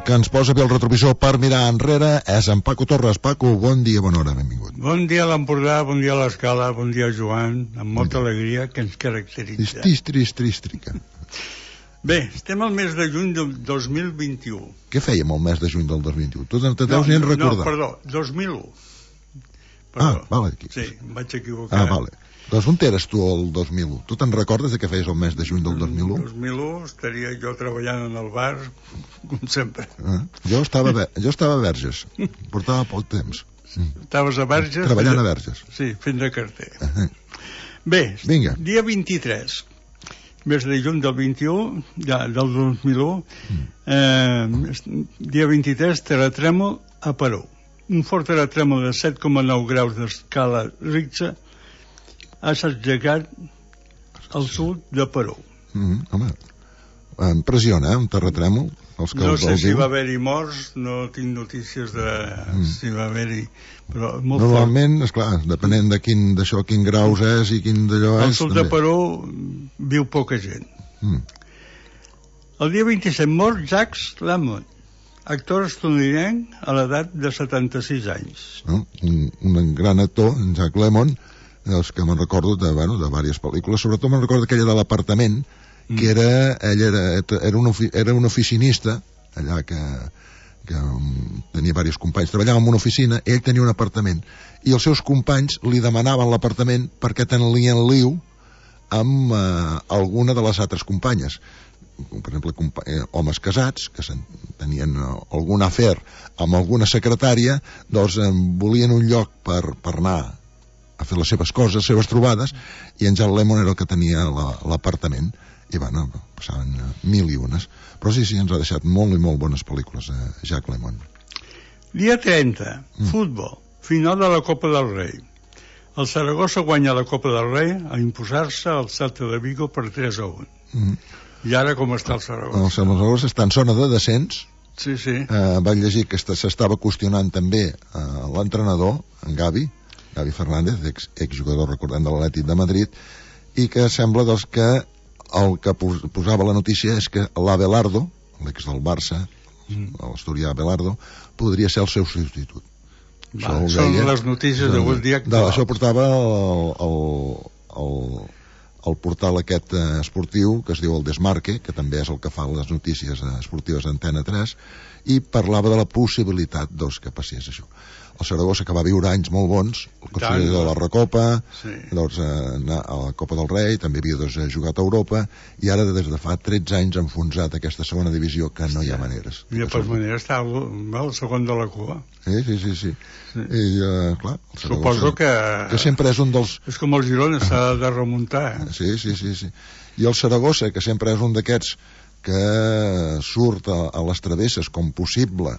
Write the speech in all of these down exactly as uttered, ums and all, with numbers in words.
que ens posa bé el retrovisor per mirar enrere és en Paco Torres. Paco, bon dia, bona hora, benvingut. Bon dia a l'Empordà, bon dia a l'Escala, bon dia Joan, amb molta bon alegria que ens caracteritza. Tris, tris, trístrica. Bé, estem al mes de juny del dos mil vint-i-u. Què fèiem al mes de juny del dos mil vint-i-u? Tu te deus ni en recordar. No, perdó, dos mil u. Perdó. Ah, vale. Aquí. Sí, em vaig equivocar. Ah, vale. Doncs on eres tu el dos mil u? Tu te'n recordes de què feies el mes de juny del dos mil u? El dos mil u estaria jo treballant en el bar, com sempre. Ah, jo, estava a, jo estava a Verges, portava poc temps. Estaves a Verges? Treballant a Verges. Sí, fent de carter. Uh -huh. Bé, vinga. Dia vint-i-tres, mes de juny del vint-i-u, ja, del dos mil u, mm. eh, dia vint-i-tres, terratrèmol a Perú. Un fort terratrèmol de set coma nou graus d'escala Richter ha assetjagat al sud de Perú. Mm, home, em impressiona, eh, un terratrèmol. Els que no els sé si viu. va haver-hi morts, no tinc notícies de mm. si va haver-hi, però molt normalment, fort. Esclar, depenent de quin d'això, quin graus és i quin d'allò és. Al sud també. De Perú viu poca gent. Mm. El dia vint-i-set mort Jacques Lemmon, actor estatunidenc a l'edat de setanta-sis anys. No? Un, un gran actor, en Jacques Lemmon, dels que me'n recordo de, bueno, de diverses pel·lícules, sobretot me'n recordo aquella de l'apartament, mm. que era, ell era, era, un, era un oficinista, allà que, que um, tenia diversos companys, treballava en una oficina, ell tenia un apartament, i els seus companys li demanaven l'apartament perquè tenien liu amb uh, alguna de les altres companyes. Per exemple, eh, homes casats que tenien uh, algun afer amb alguna secretària, doncs eh, volien un lloc per, per anar a fer les seves coses, les seves trobades, i en Jacques Lemmon era el que tenia l'apartament, i bueno, passaven mil i unes. Però sí, sí, ens ha deixat molt i molt bones pel·lícules, eh, Jacques Lemmon. Dia trenta, mm. futbol, final de la Copa del Rei. El Saragossa guanya la Copa del Rei a imposar-se al Celta de Vigo per tres a un. Mm. I ara com està el Saragossa? El Saragossa està en zona de descens. Sí, sí. Eh, vaig llegir que s'estava qüestionant també eh, l'entrenador, en Gavi, Gavi Fernández, ex, exjugador, recordem, de l'Atlètic de Madrid, i que sembla doncs, que el que posava la notícia és que l'Abelardo, l'ex del Barça, mm. l'asturià Abelardo, podria ser el seu substitut. Va, són deia, les notícies d'avui dia actual. Això portava el, el, el, el portal aquest esportiu que es diu el Desmarque, que també és el que fa les notícies esportives d'Antena tres, i parlava de la possibilitat doncs, que passés això. El Saragossa, que va viure anys molt bons, el conseller de la Recopa, sí. doncs, eh, a la Copa del Rei, també havia doncs, jugat a Europa, i ara des de fa tretze anys ha enfonsat aquesta segona divisió, que no hi ha maneres. I de per manera està el, el segon de la cua. Sí, sí, sí. sí. sí. I, eh, clar, el Saragossa, suposo que... que sempre és un dels... És com el Girona, s'ha de remuntar. Eh? Sí, sí, sí, sí. I el Saragossa, que sempre és un d'aquests que surt a, a les travesses com possible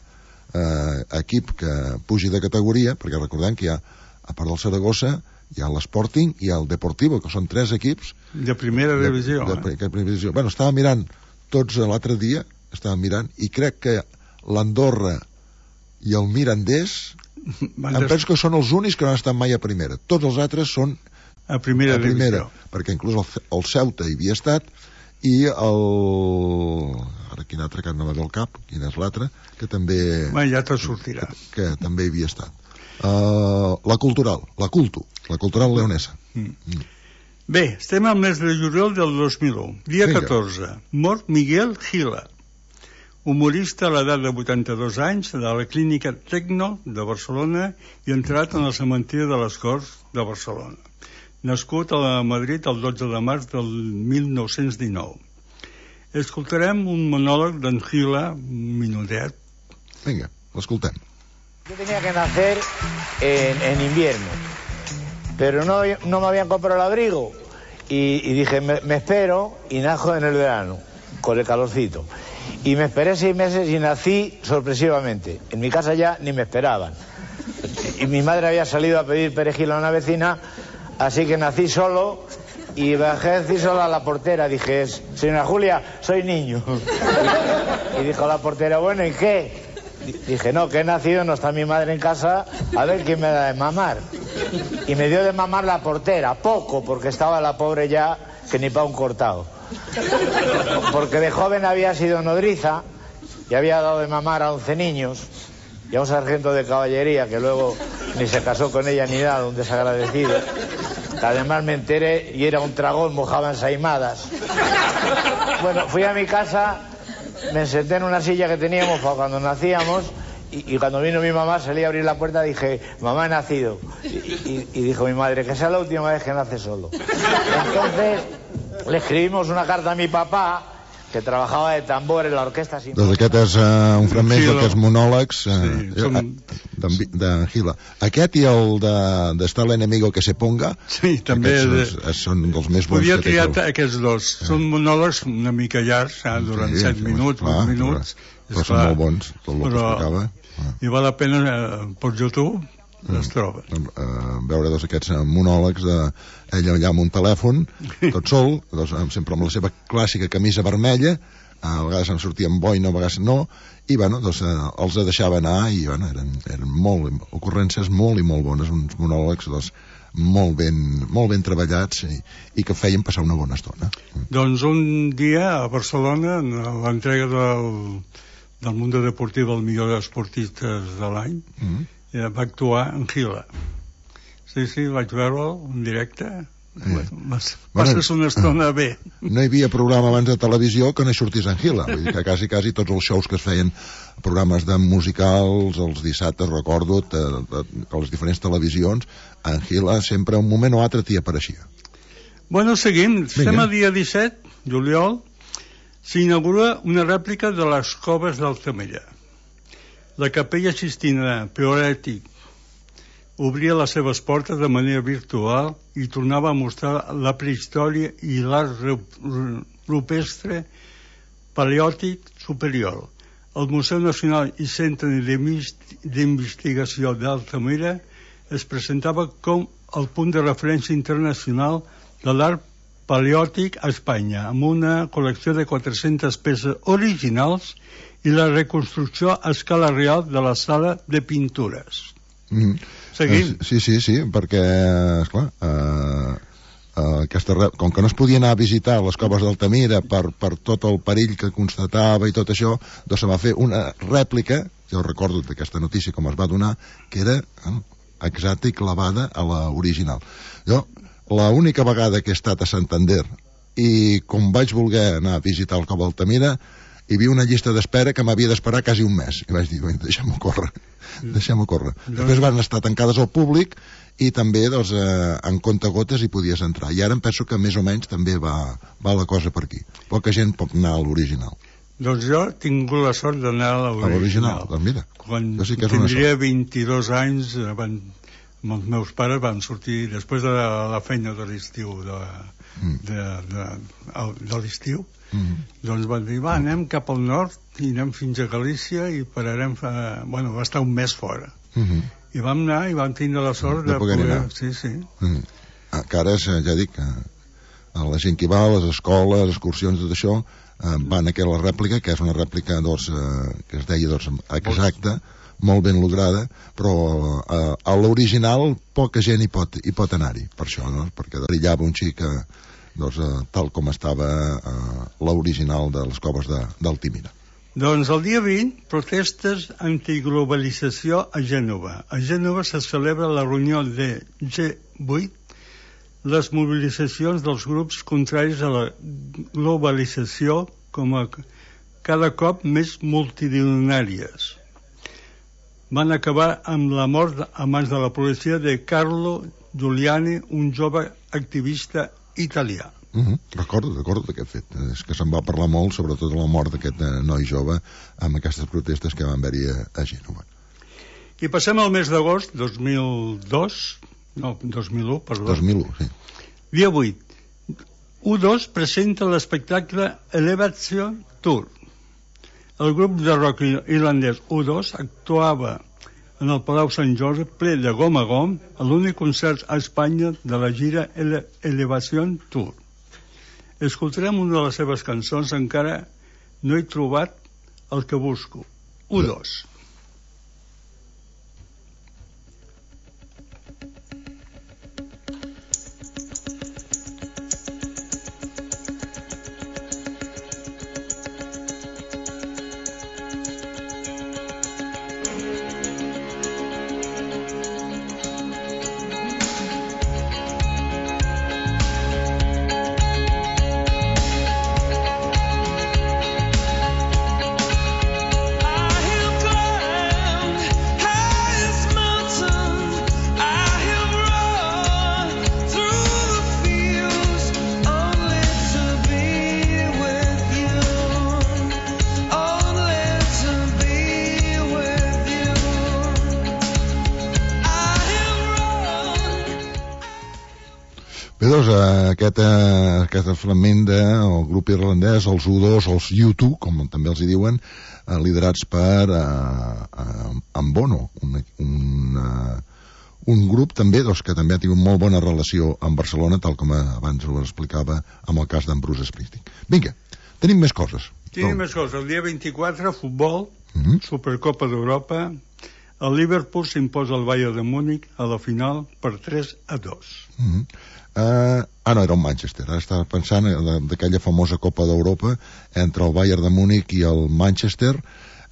eh, equip que pugi de categoria, perquè recordem que hi ha, a part del Saragossa, hi ha l'Sporting i el Deportivo, que són tres equips de primera divisió. De, de, de, de primera divisió. Bueno, estava mirant tots l'altre dia, estava mirant, i crec que l'Andorra i el Mirandés em penso que són els únics que no han estat mai a primera. Tots els altres són a primera, a primera divisió, perquè inclús el, el Ceuta hi havia estat, i el... ara quin altre que no va del cap, quin és l'altre, que també... Bé, ja te sortirà. Que, que també hi havia estat. Uh, la cultural, la cultu, la cultural leonesa. Mm. Mm. Bé, estem al mes de juliol del dos mil u. Dia Vinga. catorze. Mort Miguel Gila, humorista a l'edat de vuitanta-dos anys, de la clínica Tecno de Barcelona i entrat en el cementiri de les Corts de Barcelona. Nascut a Madrid el dotze de març del mil nou-cents dinou. Escoltarem un monòleg d'en Gila, un minutet. Vinga, l'escoltem. Yo tenía que nacer en, en invierno, pero no, no me habían comprado el abrigo y, y dije, me, me espero y najo en el verano, con el calorcito. Y me esperé seis meses y nací sorpresivamente. En mi casa ya ni me esperaban. Y mi madre había salido a pedir perejil a una vecina, así que nací solo y bajé a decir solo a la portera. Dije, señora Julia, soy niño. Y dijo la portera, bueno, ¿y qué? Dije, no, que he nacido, no está mi madre en casa, a ver quién me da de mamar. Y me dio de mamar la portera, poco, porque estaba la pobre ya que ni pa' un cortado. Porque de joven había sido nodriza y había dado de mamar a once niños, y a un sargento de caballería que luego ni se casó con ella ni nada, un desagradecido. Además me enteré y era un tragón, mojaba ensaimadas. Bueno, fui a mi casa, me senté en una silla que teníamos para cuando nacíamos, y, y cuando vino mi mamá salí a abrir la puerta, dije, mamá, he nacido. Y, y, y dijo mi madre, que sea la última vez que nace solo. Entonces le escribimos una carta a mi papá, que trabajava de tambor en l'orquestra sinfònica. Doncs aquest és uh, un fragment d'aquests monòlegs uh, sí, som... d'en de Gila. Aquest i el de, de Está el enemigo que se ponga, sí, també aquests de... són dels més bons. Podia que té triar el... aquests dos. Sí. Són monòlegs una mica llargs, eh, durant sí, set sí, minuts, vuit minuts. Però, però són molt bons, tot el però... que explicava. Ah. I val la pena, eh, per YouTube, es troba. Uh, veure doncs, aquests monòlegs de ell allà amb un telèfon, tot sol, doncs, sempre amb la seva clàssica camisa vermella, a vegades em sortien boina, a vegades no, i bueno, doncs, uh, els deixava anar i bueno, eren, eren molt, ocurrències molt i molt bones, uns monòlegs doncs, molt, ben, molt ben treballats i, i que feien passar una bona estona. Doncs un dia a Barcelona, en l'entrega del, del Mundo Deportiu del millor esportistes de l'any, mm-hmm. va actuar en Gila. Sí, sí, vaig veure'l en directe. Sí. Vas, passes bueno, una estona bé. No hi havia programa abans de televisió que no hi sortís en Gila. Vull dir que quasi, quasi tots els shows que es feien, programes de musicals, els dissabtes, recordo, a, a, a les diferents televisions, en Gila sempre un moment o altre t'hi apareixia. Bueno, seguim. Estem el dia disset, juliol, s'inaugura una rèplica de les coves d'Altamira. La capella Sistina Peoretic obria les seves portes de manera virtual i tornava a mostrar la prehistòria i l'art rupestre paleòtic superior. El Museu Nacional i Centre d'Investigació d'Altamira es presentava com el punt de referència internacional de l'art paleòtic a Espanya, amb una col·lecció de quatre-centes peces originals i la reconstrucció a escala real de la sala de pintures. Mm. Seguim. Eh, sí, sí, sí, perquè, esclar, eh, eh, aquesta, com que no es podia anar a visitar les coves d'Altamira per, per tot el perill que constatava i tot això, doncs se va fer una rèplica, jo recordo d'aquesta notícia com es va donar, que era eh, exacta i clavada a l'original. Jo, l'única vegada que he estat a Santander i com vaig voler anar a visitar el cova d'Altamira, hi havia una llista d'espera que m'havia d'esperar quasi un mes. I vaig dir, deixem-ho córrer, deixem-ho córrer. Després van estar tancades al públic i també, doncs, eh, en comptagotes hi podies entrar. I ara em penso que més o menys també va, va la cosa per aquí. Poca gent pot anar a l'original. Doncs jo he tingut la sort d'anar a l'original. A l'original, doncs mira. Quan sí que tindria vint-i-dos anys, van, els meus pares van sortir, després de la feina de l'estiu, de, mm. de, de, de, de l'estiu, Mm. doncs van dir, va, anem cap al nord i anem fins a Galícia i pararem fa... bueno, va estar un mes fora mm -hmm. i vam anar i vam tindre la sort de, de poder, poder... sí, sí mm. ah, que ara, ja dic a la gent que va a les escoles, excursions, tot això eh, van a aquella rèplica, que és una rèplica doncs, eh, que es deia doncs, exacta, molt ben lograda, però eh, a l'original poca gent hi pot, hi pot anar-hi, per això, no? Perquè brillava un xic eh, doncs, eh, tal com estava eh, l'original de les coves d'Altamira. Doncs el dia vint, protestes antiglobalització a Gènova. A Gènova se celebra la reunió de G vuit, les mobilitzacions dels grups contraris a la globalització com a cada cop més multitudinàries. Van acabar amb la mort a mans de la policia de Carlo Giuliani, un jove activista italià. Uh -huh. Recordo, recordo d'aquest fet. És que se'n va parlar molt, sobretot de la mort d'aquest noi jove amb aquestes protestes que van haver-hi a, a Gènova. I passem al mes d'agost, dos mil dos, no, dos mil u, perdó. dos mil u, sí. Dia vuit. U dos presenta l'espectacle Elevation Tour. El grup de rock irlandès U dos actuava en el Palau Sant Jordi ple de gom a gom a l'únic concert a Espanya de la gira Ele Elevation Tour. Escoltarem una de les seves cançons, encara no he trobat el que busco. U dos. Bé, doncs, aquest, aquest fragment del grup irlandès, els U dos, els U dos, com també els hi diuen, liderats per en Bono, un, un, un grup també doncs, que també ha tingut molt bona relació amb Barcelona, tal com abans ho explicava amb el cas d'en Bruce Springsteen. Vinga, tenim més coses. Tenim més coses. El dia vint-i-quatre, futbol, uh-huh. Supercopa d'Europa. El Liverpool s'imposa al Bayern de Múnich a la final per tres a dos. Uh-huh. Uh, ah, no, era el Manchester. Ara estava pensant d'aquella famosa Copa d'Europa entre el Bayern de Múnich i el Manchester,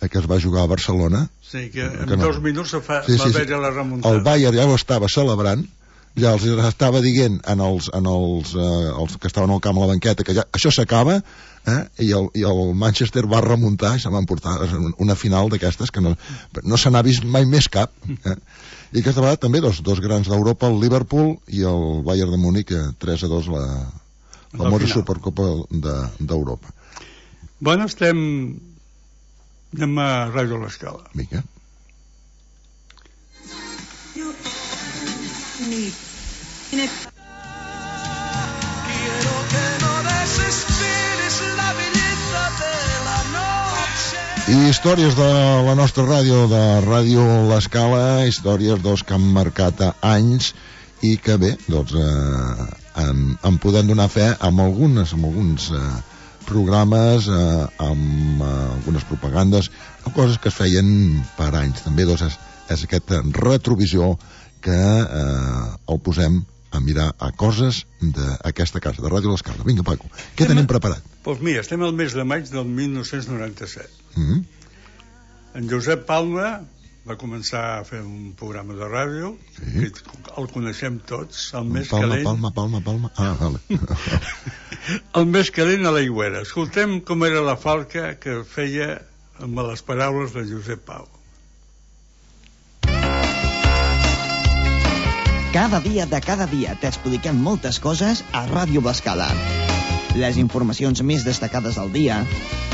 que es va jugar a Barcelona. Sí, que en que no. dos minuts se fa, sí, va sí, haver sí. la remuntada. El Bayern ja ho estava celebrant, ja els estava dient en els, en els, uh, els que estaven al camp a la banqueta que ja, això s'acaba, eh? I, el, i el Manchester va remuntar i se van portar una final d'aquestes que no, no se n'ha vist mai més cap, eh? I aquesta vegada també dos, dos grans d'Europa, el Liverpool i el Bayern de Múnich, tres a dos la famosa Supercopa d'Europa. De, bueno, estem anem a Ràdio l'Escala. Vinga. Quiero que no desesperes la belleza de la noche. I històries de la nostra ràdio, de Ràdio l'Escala, històries doncs, que han marcat anys i que bé, doncs eh, en, en podem donar fe amb algunes, amb alguns eh, programes, eh, amb eh, algunes propagandes, coses que es feien per anys. També doncs, és, és aquest retrovisió que eh, el posem a mirar a coses d'aquesta casa, de Ràdio l'Escala. Vinga, Paco, què tenim preparat? Doncs pues mira, estem al mes de maig del mil nou-cents noranta-set. Mm-hmm. En Josep Palma va començar a fer un programa de ràdio, sí. Que el coneixem tots, el més Palma, calent... Palma, Palma, Palma... Ah, vale. El més calent a l'Aigüera. Escoltem com era la falca que feia amb les paraules de Josep Pau. Cada dia de cada dia t'expliquem moltes coses a Ràdio l'Escala. Les informacions més destacades del dia,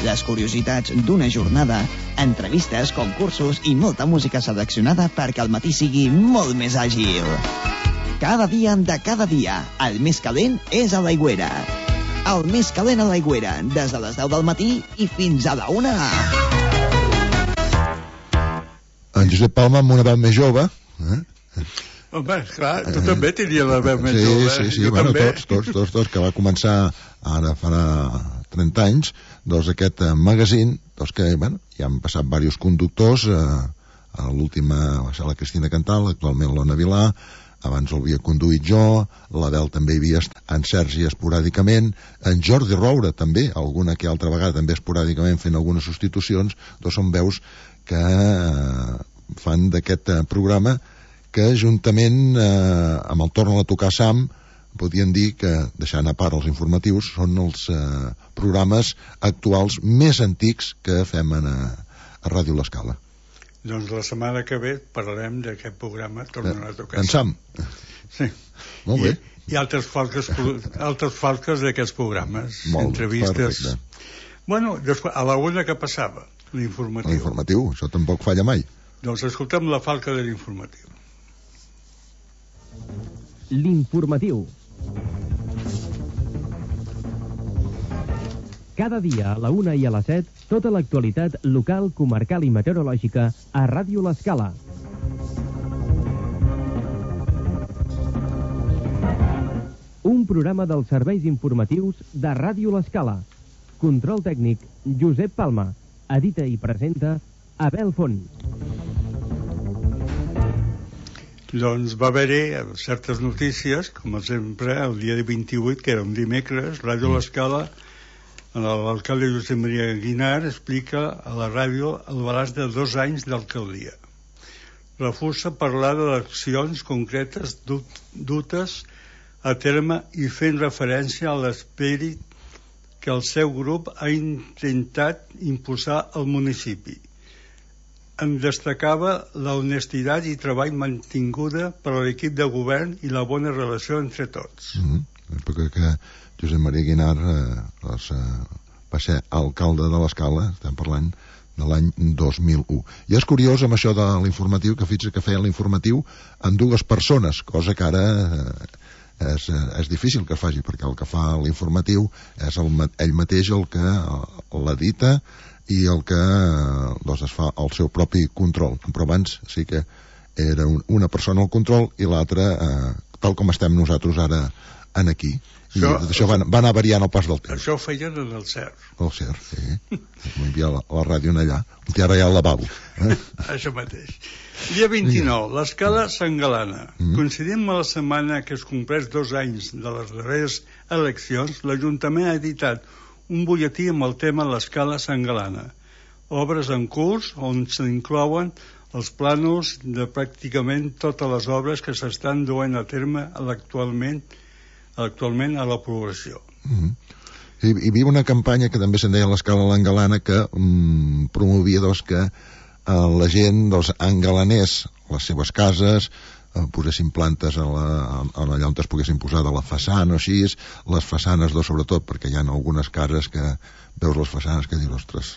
les curiositats d'una jornada, entrevistes, concursos i molta música seleccionada perquè el matí sigui molt més àgil. Cada dia de cada dia, el més calent és a l'Aigüera. El més calent a l'Aigüera, des de les deu del matí i fins a la una. En Josep Palma amb una veu més jove, eh? Home, esclar, tu també tenies la veu més sí, jove. Sí, sí, jo bueno, també. tots, tots, tots, tots, que va començar ara farà trenta anys, doncs aquest eh, magazine, doncs que, bueno, ja han passat diversos conductors, eh, l'última va ser la Cristina Cantal, actualment l'Ona Vilà, abans el havia conduït jo, l'Abel també hi havia estat, en Sergi esporàdicament, en Jordi Roura també, alguna que altra vegada també esporàdicament fent algunes substitucions, doncs són veus que eh, fan d'aquest eh, programa que juntament eh, amb el Torna a tocar Sam podien dir que, deixant a part els informatius, són els eh, programes actuals més antics que fem a, a Ràdio l'Escala. Doncs la setmana que ve parlarem d'aquest programa Torna a tocar en Sam. Sí. Molt bé. I, i altres falques, altres falques d'aquests programes, molt entrevistes. Perfecte. Bueno, després, a la una que passava, l'informatiu. L'informatiu, això tampoc falla mai. Doncs escoltem la falca de l'informatiu. L'informatiu. Cada dia a la una i a les set, tota l'actualitat local, comarcal i meteorològica a Ràdio l'Escala. Un programa dels serveis informatius de Ràdio l'Escala. Control tècnic, Josep Palma. Edita i presenta Abel Font. Doncs va haver-hi certes notícies, com sempre, el dia vint-i-vuit, que era un dimecres, Ràdio l'Escala, l'alcalde Josep Maria Guinar explica a la ràdio el balanç de dos anys d'alcaldia. Refusa parlar de accions concretes dutes a terme i fent referència a l'esperit que el seu grup ha intentat impulsar al municipi. En destacava la honestitat i treball mantinguda per a l'equip de govern i la bona relació entre tots. Mm-hmm. Perquè que Josep Maria Guinar eh, doncs, eh, va ser alcalde de l'Escala, estem parlant de l'any dos mil u. I és curiós amb això de l'informatiu, que fixa't que feia l'informatiu amb dues persones, cosa que ara eh, és, és difícil que es faci, perquè el que fa l'informatiu és el, ell mateix el que l'edita i el que doncs, es fa el seu propi control. Però abans sí que era un, una persona al control i l'altra eh, tal com estem nosaltres ara en aquí. I això, això va, va anar variant al pas del temps. Això ho feien en el C E R. El C E R, sí. M'hi havia la, la ràdio allà. I ara hi ha el lavabo. Eh? Això mateix. Dia vint-i-nou, l'escala Sant Galana. Mm. Coincidint amb la setmana que es compleix dos anys de les darreres eleccions, l'Ajuntament ha editat un butlletí amb el tema l'escala Sant Galana. Obres en curs on s'inclouen els plànols de pràcticament totes les obres que s'estan duent a terme actualment actualment a la població. Mm-hmm. I, hi havia una campanya que també se'n deia l'escala L'Engalana que mm, promovia doncs, que eh, la gent doncs, engalanés les seves cases, eh, posessin plantes a la, a, a allà on es poguessin posar de la façana o així, les façanes doncs, sobretot perquè hi ha algunes cases que veus les façanes que dius, ostres,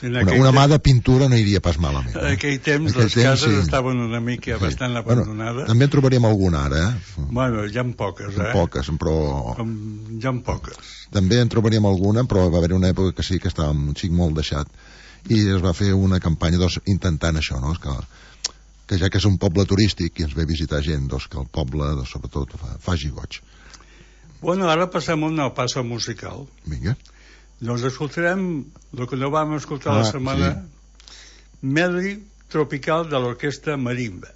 una, una mà de pintura no iria pas malament. En aquell temps aquell les temps, cases sí. estaven una mica sí. bastant abandonades. Bueno, també en trobaríem alguna ara, eh? Bueno, hi ha poques, eh? Poques, però... Com... Hi ha poques. També en trobaríem alguna, però va haver una època que sí que estava un xic molt deixat i es va fer una campanya doncs, intentant això, no? Que, que ja que és un poble turístic i ens ve a visitar gent, doncs, que el poble, doncs, sobretot, fa, faci goig. Bueno, ara passem a una passa musical. Vinga. Doncs escoltarem el que no vam escoltar ah, la setmana, sí. Medley tropical de l'orquestra Marimba.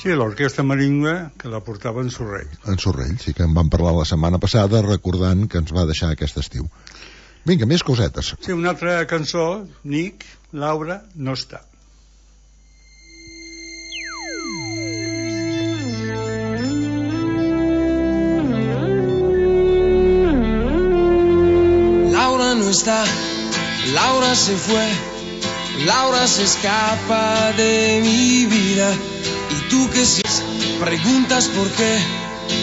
Sí, l'orquestra Marimba, que la portava en Sorrell. En Sorrell, sí que en vam parlar la setmana passada, recordant que ens va deixar aquest estiu. Vinga, més cosetes. Sí, una altra cançó, Nick, Laura, no està. Laura no está, Laura se fue, Laura se escapa de mi vida. Y tú que si preguntas por qué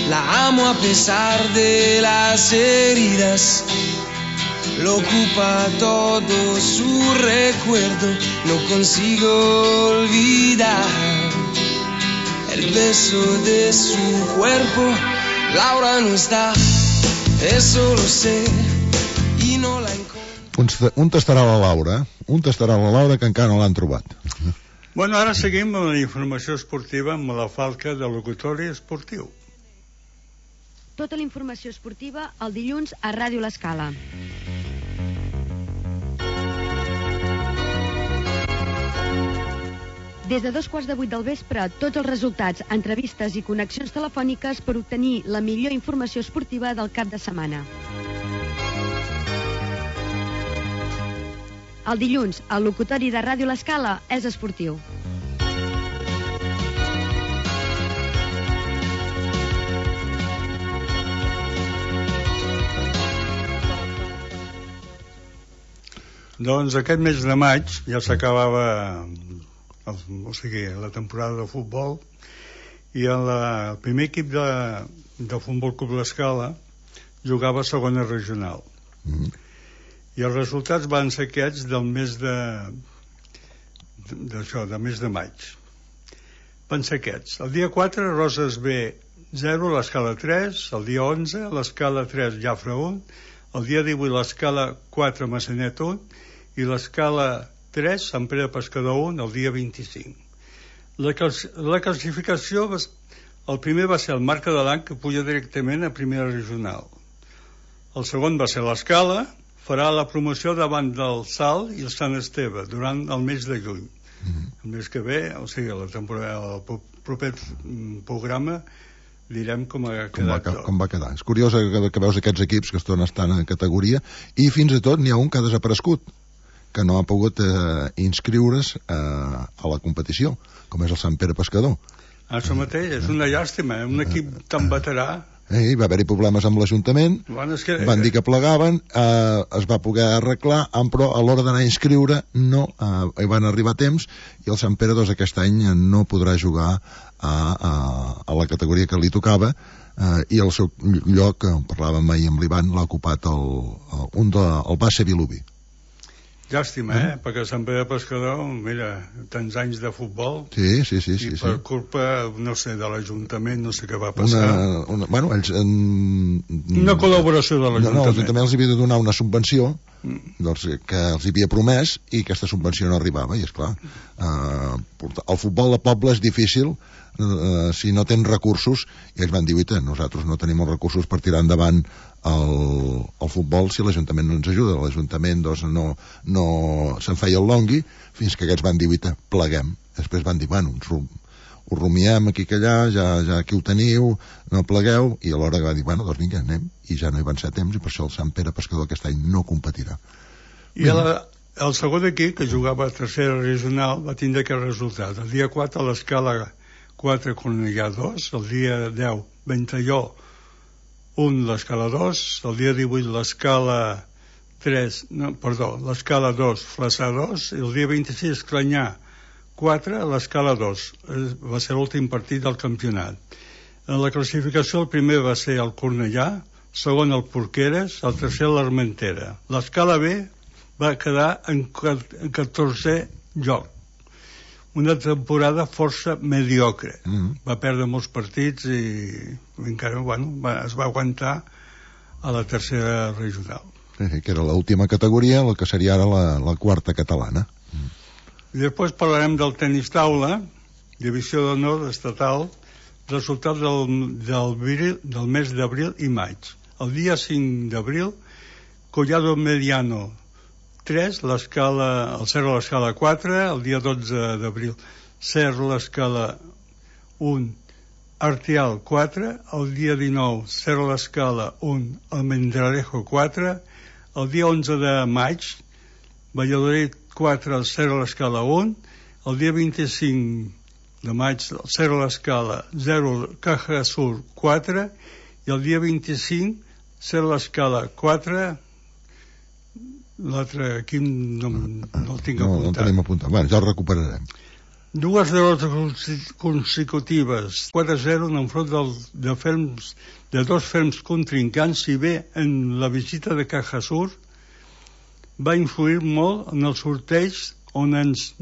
la amo a pesar de las heridas, lo ocupa todo su recuerdo, no consigo olvidar el beso de su cuerpo. Laura no está, eso lo sé, y no la encuentro. On estarà la Laura? On estarà la Laura que encara no l'han trobat? Bueno, ara seguim amb la informació esportiva amb la falca de locutori esportiu. Tota la informació esportiva el dilluns a Ràdio L'Escala. Des de dos quarts de vuit del vespre, tots els resultats, entrevistes i connexions telefòniques per obtenir la millor informació esportiva del cap de setmana. El dilluns, el locutori de Ràdio L'Escala és esportiu. Doncs aquest mes de maig ja s'acabava el, o sigui, la temporada de futbol i el, el primer equip de, de Futbol Club L'Escala jugava a segona regional. Mm-hmm. I els resultats van ser aquests del mes de d'això, del mes de maig. Van ser aquests. El dia quatre, Roses B zero, l'Escala tres. El dia onze, l'Escala tres, Jafre un. El dia divuit, l'Escala quatre, Massanet un. I l'Escala tres, Sant Pere Pescador un, el dia vint-i-cinc. La, la classificació, el primer va ser el Marca de l'An, que puja directament a primera regional. El segon va ser l'Escala, farà la promoció davant del Salt i el Sant Esteve durant el mes de juny. Mm-hmm. El mes que ve, o sigui, la temporada, el proper programa, direm com ha com va, quedat tot. Com va quedar. És curiós que, que veus aquests equips que estan estan en categoria, i fins i tot n'hi ha un que ha desaparegut, que no ha pogut eh, inscriure's eh, a la competició, com és el Sant Pere Pescador. Això mateix, és una llàstima, un equip tan veterà. Eh, va haver-hi problemes amb l'Ajuntament, Bueno, és que... van dir que plegaven, eh, es va poder arreglar, però a l'hora d'anar a inscriure no eh, hi van arribar a temps, i el Sant Pere doncs, aquest any no podrà jugar a, a, a la categoria que li tocava, eh, i el seu lloc, eh, parlàvem ahir amb l'Ivan, l'ha ocupat el, el, un de, el Baixa Vilobí. Llàstima, eh? Mm. Perquè Sant Pere Pescador, mira, tants anys de futbol, sí, sí, sí, i sí, per sí. culpa, no sé, de l'Ajuntament, no sé què va passar. Una, una, bueno, ells, en, una col·laboració de l'Ajuntament. No, no, l'Ajuntament els havia de donar una subvenció doncs, que els havia promès, i aquesta subvenció no arribava, i esclar, eh, el futbol de poble és difícil eh, si no tens recursos, i ells van dir, oita, nosaltres no tenim els recursos per tirar endavant el, el futbol si l'Ajuntament no ens ajuda. L'Ajuntament doncs, no, no se'n feia el longui, fins que aquests van dir, oita, pleguem. Després van dir, bueno, ens ho rumiem aquí que allà, ja, ja aquí ho teniu, no plegueu, i alhora va dir, bueno, doncs vinga, anem, i ja no hi van ser temps, i per això el Sant Pere Pescador aquest any no competirà. I el, el segon equip, que jugava a tercera regional, va tindre aquest resultat. El dia quatre, a l'escala quatre, Cornellà dos, el dia deu, Ventalló un, l'escala dos, el dia divuit, l'escala tres, no, perdó, l'escala dos, Flaçà dos, i el dia vint-i-sis, Clanyà quatre, a l'escala dos. Va ser l'últim partit del campionat. En la classificació el primer va ser el Cornellà, segon el Porqueres, el tercer l'Armentera. L'escala B va quedar en catorzè lloc. Una temporada força mediocre. Mm-hmm. Va perdre molts partits i encara, bueno, va, es va aguantar a la tercera regional. Sí, que era l'última categoria, el que seria ara la, la quarta catalana. Mm. I després parlarem del tenis taula, divisió d'honor estatal, resultat del, del, viril, del mes d'abril i maig. El dia cinc d'abril, Collado Mediano tres, l'escala, el Cerro a l'escala quatre, el dia dotze d'abril, Cerro a l'escala un, Artial quatre, el dia dinou, Cerro a l'escala un, Almendralejo quatre, el dia onze de maig, Valladolid quatre, el Cerro a l'escala un, el dia vint-i-cinc de maig, el Cerro a l'escala zero, Caja Sur quatre, i el dia vint-i-cinc, Cerro a l'escala quatre, l'altre aquí no, no el tinc no, apuntat. No el tenim apuntat. Bueno, ja el recuperarem. Dues derrotes consecutives, quatre a zero en enfront del, de, ferms, de dos ferms contrincants, si bé en la visita de Caja Sur va influir molt en el sorteig on, ens,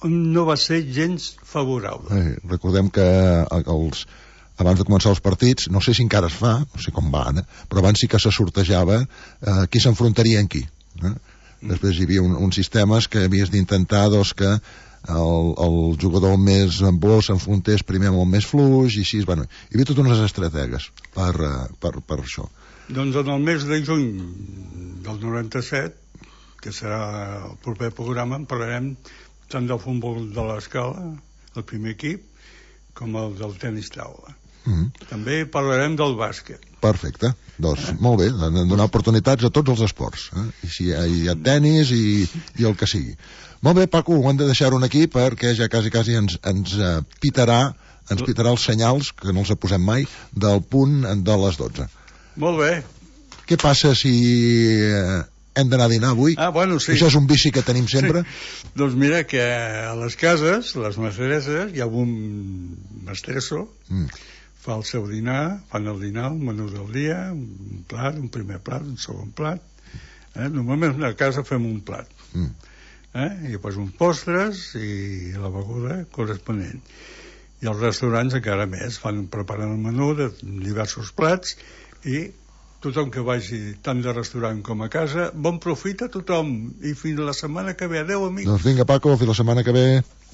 on no va ser gens favorable. Eh, recordem que els, abans de començar els partits, no sé si encara es fa, no sé com va ara, però abans sí que se sortejava eh, qui s'enfrontaria en qui. Eh? Mm. Després hi havia un, uns sistemes que havies d'intentar doncs, que el, el jugador més bo s'enfrontés primer amb el més fluix, i així, bueno, hi havia totes unes estratègies per, per, per això. Doncs en el mes de juny del noranta-set, que serà el proper programa, en parlarem tant del futbol de l'escala, el primer equip, com el del tenis taula. Mm-hmm. També parlarem del bàsquet. Perfecte, doncs eh? Molt bé, donar oportunitats a tots els esports, eh? I si hi ha, hi ha tenis i, i el que sigui. Molt bé, Paco, ho hem de deixar un aquí perquè ja quasi quasi ens, ens uh, pitarà ens pitarà els senyals, que no els posem mai, del punt de les dotze. Molt bé. Què passa si uh, hem d'anar a dinar avui? Ah, bueno, sí. Això és un vici que tenim sempre. Sí. Doncs mira que a les cases, les mestresses, hi ha un mestresso, mm. fa el seu dinar, fan el dinar, un menú del dia, un plat, un primer plat, un segon plat. Eh? Normalment a casa fem un plat. Mm. Eh? I després uns postres i la beguda corresponent. I els restaurants encara més, fan, preparen el menú de diversos plats, i tothom que vagi tant de restaurant com a casa, bon profit a tothom, i fins la setmana que ve. Adéu, amics. Doncs vinga, Paco, fins la setmana que ve.